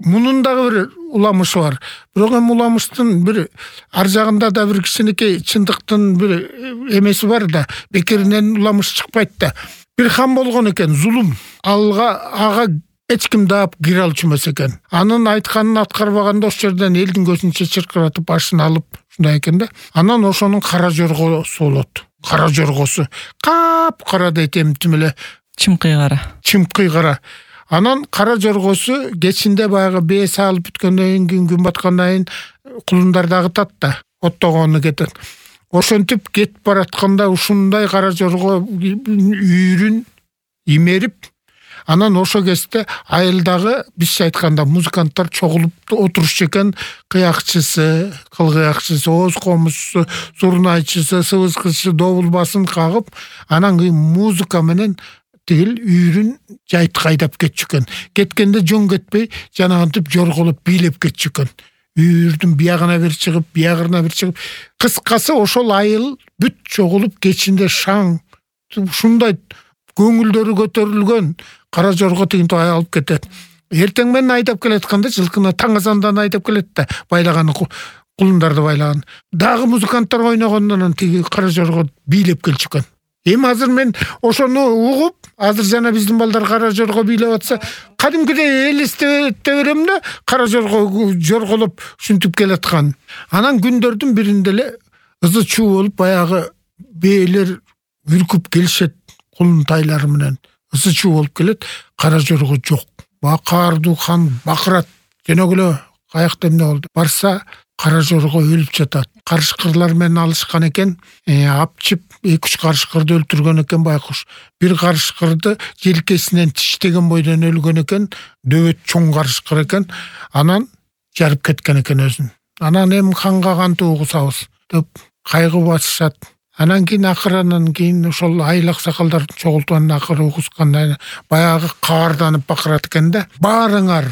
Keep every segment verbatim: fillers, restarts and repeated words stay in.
мунун дагы бир уламышы бар. Бирок эми уламыштын бир ар жагында да бир кичинекей чындыктын бир эмеси бар да, бекеринен уламыш чыкпайт да. Бир хан болгон экен, зулум. Алга ага эч ким даап кире алчу эмес экен. Анын айтканын аткарбаганда ошол жерден элдин көзүнчө чыркыратып башын алып ушундай экен да. Анан ошонун кара жоргосу болот. Кара жоргосу. Кап кара дейт эмтим эле. Чымкый кара. Чымкый кара. Анан кара жоргосу кечинде баягы бээ салып бүткөндөн кийин күн баткандан кийин кулундар дагытат да, оттогону кетет. Ошентип кетип баратканда ушундай кара жорго үйрүн имерип, анан ошо кезде айылдагы бизче айтканда музыканттар чогулуп отурушчу экен. Кыякчысы, кылгыякчысы, ооз комузчусу, зурнайчысы, сыбызгычысы добул басын кагып, анан кийин музыка менен тигил үйрүн жайт кайдап кетчү экен. Кеткенде жөн кетпей, жанагынтип жорголоп бийлеп кетчү экен. Үйрдүн биягына бир чыгып, биягына бир чыгып, кыскасы ошол айыл бүт чогулуп кечинде шаң, ушундай көңүлдөрү көтөрүлгөн кара жорго тигинтип алып кетет. Эртең менен айдап келатканда жылкыны таң азандан айдап келет да, байлаган кулундарды байлаган. Дагы музыканттар ойногондон тиги кара жорго бийлеп келчү экен. Эми азыр мен ошону угуп, азыр жана биздин балдар кара жорго бийлеп атса, кадимкидей элестете берем да, кара жорго жорголоп ушинтип келаткан. Анан күндөрдүн биринде эле ызы чуу болуп, баягы бээлер үркүп келишет кулун тайлары менен. Ызы чуу болуп келет, кара жорго жок. Бакардуу хан бакырат. Жөнөгүлө каякта эмне болду? Барса, кара жорго өлүп жатат. Карышкырлар менен алышкан экен, апчып эки үч карышкырды өлтүргөн экен байкуш. Бир карышкырды желкесинен тиштеген бойдон өлгөн экен, дөбөт чоң карышкыр экен. Анан жарып кеткен экен өзүн. Анан эми ханга кантип угусабыз деп кайгы басышат. Анан кийин акырынан кийин ошол айыл аксакалдар чогултуп акыры угусканда баягы каарданып бакырат экен да. Баарыңар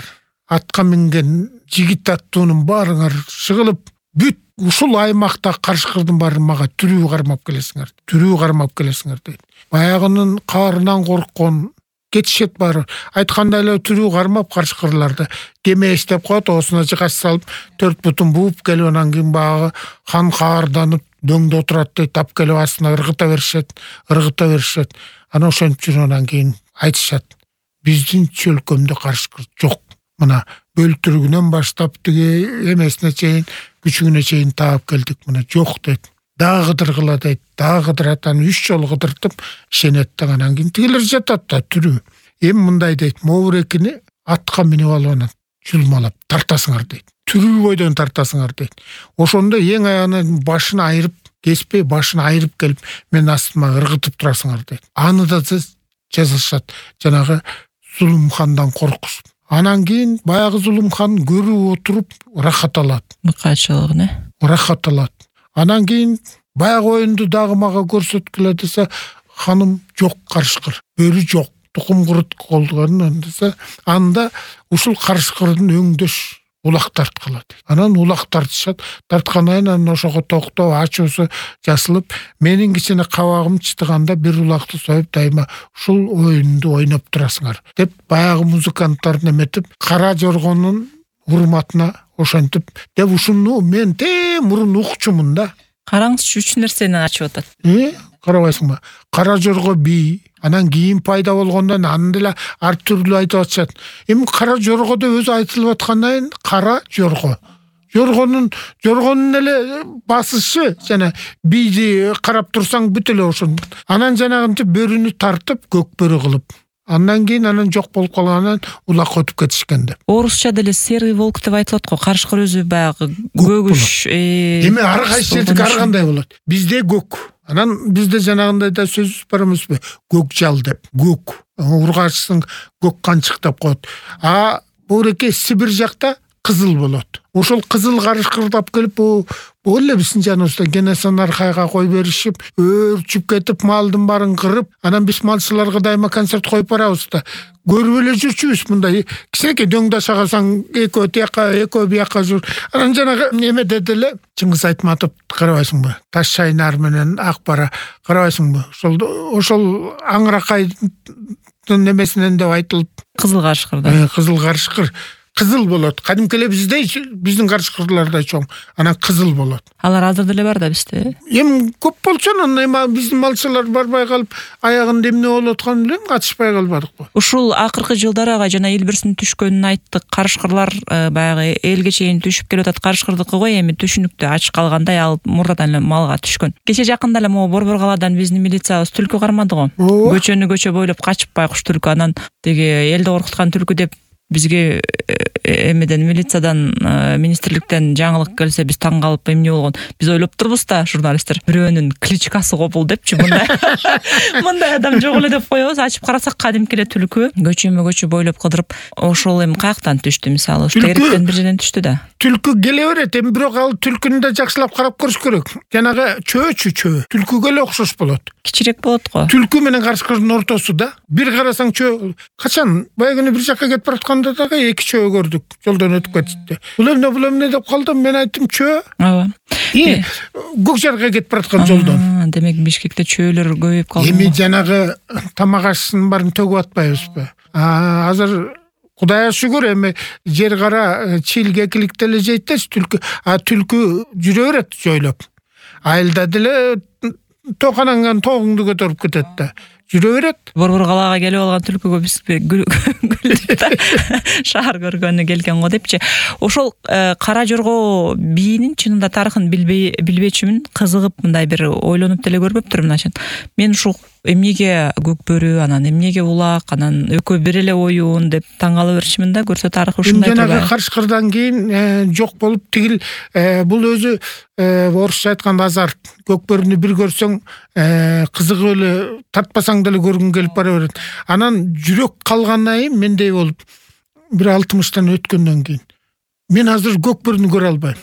атка минген жигит аттуунун баарыңар шыгылып, бүт ушул аймакта карышкырдын баары мага түрүү кармап келесиңер. Түрүү кармап келесиңер дейт. Баягынын каарынан корккон кетишет баары. Айткандай эле түрүү кармап карышкырларды кеме иштеп коет, оосуна жыгач салып, төрт бутун бууп келип, анан кийин баягы хан каарданып дөңдө отурат дейт, тап келип астына ыргыта беришет, ыргыта беришет. Анан ошентип жүрүп анан кийин айтышат. Биздин чөлкөмдө карышкыр жок. Мына бөлтүрүгүнөн баштап тиги эмесине чейин, күчүгүнө чейин таап келдик, мына жок дейт. Дагы кыдыргыла дейт, дагы кыдырат, анан үч жолу кыдыртып ишенет да, анан кийин тигилер жатат да түрүү. Эми мындай дейт, моурекини атка минип алып анан жулмалап тартасыңар дейт. Түрүү бойдон тартасыңар дейт. Ошондо эң аягынан башын айырып, кеспей башын айырып келип, мен астыма ыргытып турасыңар дейт. Аны да жазышат, жанагы Зулумхандан коркушуп. Анан кийин баягы Зулумхан көрүп отуруп рахат алат. Мыкачылыгын, э? Рахат алат. Анан кийин баягы оюнду дагы мага көрсөткүлө десе, ханым жок карышкыр, бөрү жок, тукум курут колдуган десе, анда ушул карышкырдын өңдөш улак тарткыла дейт. Анан улак тартышат, тарткандан анан ошого токтоп, ачуусу жасылып, менин кичине кабагым чытыганда бир улакты союп дайыма ушул оюнду ойноп турасыңар деп баягы музыканттар неметип, кара жоргонун урматына ошентип деп ушуну мен те мурун укчумун да. Караңызчы, үч нерсени ачып атат. Э, карабайсыңбы? Кара жорго бий, анан кийин пайда болгондон аны деле ар түрлүү айтып атышат. Эми кара жоргодо өзү айтылып аткандан кара жорго. Жоргонун жоргонун эле басышы жана бийди карап турсаң бүт эле ошон. Анан жанагынтип бөрүнү тартып көк бөрү кылып. Андан кийин анан жок болуп калгандан улак өтүп кетишкен деп. Орусча деле серый волк деп айтылат го. Карышкыр өзү баягы көгүш. Эми ар кайсы жердики ар кандай болот. Бизде көк. Анан бизде жанагындай да сөз бар эмеспи? Көк жал деп. Көк. Ургачсың көк канчык деп коет. А буреке Сибир жакта кызыл болот. Ошол кызыл карышкырдап келип, бул эле биздин жаныбызда Кенесары аркайга кой беришип, өрчүп кетип, малдын баарын кырып, анан биз малчыларга дайыма концерт коюп барабыз да. Көрүп эле жүрчүбүз мындай. Кичинекей дөңдө шагасаң, экөө тияка, экөө бияка жүр. Анан жанагы неме деле Чыңгыз Айтматов карабайсыңбы? Таш шайнар менен ак бара карабайсыңбы? Ошол ошол аңыракайдын немесинен деп айтылып, кызыл карышкырда. Кызыл карышкыр. кызыл болот. Кадимки эле биздей, биздин карышкырлардай чоң. Анан кызыл болот. Алар азыр деле бар да бизде. Эми көп болчу, анан эми биздин малчылар барбай калып, аягында эмне болуп атканын билем, катышпай калбадыкпы. Ушул акыркы жылдары ага жана Илбирстин түшкөнүн айттык. Карышкырлар баягы элге чейин түшүп келип атат. Карышкырдыкы го эми түшүнүктү ач калгандай ал мурдадан эле малга түшкөн. Кече жакында эле могу Борбор калаадан биздин милициябыз түлкү кармады го. Көчөнү көчө бойлоп качып байкуш түлкү, анан деги элди коркуткан түлкү деп бизге эмеден милициядан министрликтен жаңылык келсе биз таң калып эмне болгон. Биз ойлоп турбуз да, журналисттер, бирөөнүн кличкасы го бул депчи, мындай мындай адам жок эле деп коебуз. Ачып карасак кадимки эле түлкү көчөмө көчө бойлоп кыдырып, ошол эми каяктан түштү, мисалы ушу тегеректен бир жерден түштү да. Түлкү келе берет, эми бирок ал түлкүнү да жакшылап карап көрүш керек. Жанагы чөөчү чөө түлкүгө эле окшош болот. Кичирээк болот го. Түлкү менен карышкырдын ортосу да. Бир карасаң чөө, качан баягы күнү бир жакка кетип баратканда дагы эки чөө көрдүк. Жолдон өтүп кетти. Бул эмне, бул эмне деп калдым. Мен айттым чөө. Ооба. И Көк Жарга кетип бараткан жолдон. Демек Бишкекте чөөлөр көбөйүп калды. Эми жанагы тамак ашысын баарын төгүп атпайбызбы? Азыр Кудайга шүгүр, эми жер кара чилге экиликте эле жейт да түлкү. А түлкү жүрө берет жойлоп. Айылда деле токананган тогуңду көтөрүп кетет да. Жүрө берет. Борбор калаага келип алган түлкүгө биз шаар көргөнү келген го депчи. Ошол Кара Жорго бийинин чынында тарыхын билбей билбечүмүн, кызыгып мындай бир ойлонуп деле көрбөптүрмүн ачан. Мен ушул эмнеге көк бөрү, анан эмнеге улак, анан экөө бир эле оюн деп таң кала берчимин да, көрсө тарыхы ушундай турбайбы. Жанагы карышкырдан кийин жок болуп тигил бул өзү орусча айтканда азарт. Көк бөрүнү бир көрсөң кызыгып эле тартпасаң деле көргүң келип бара берет. Анан жүрөк калгандан кийин мендей болуп бир алтымыштан өткөндөн кийин мен азыр көк бөрүнү көрө албайм.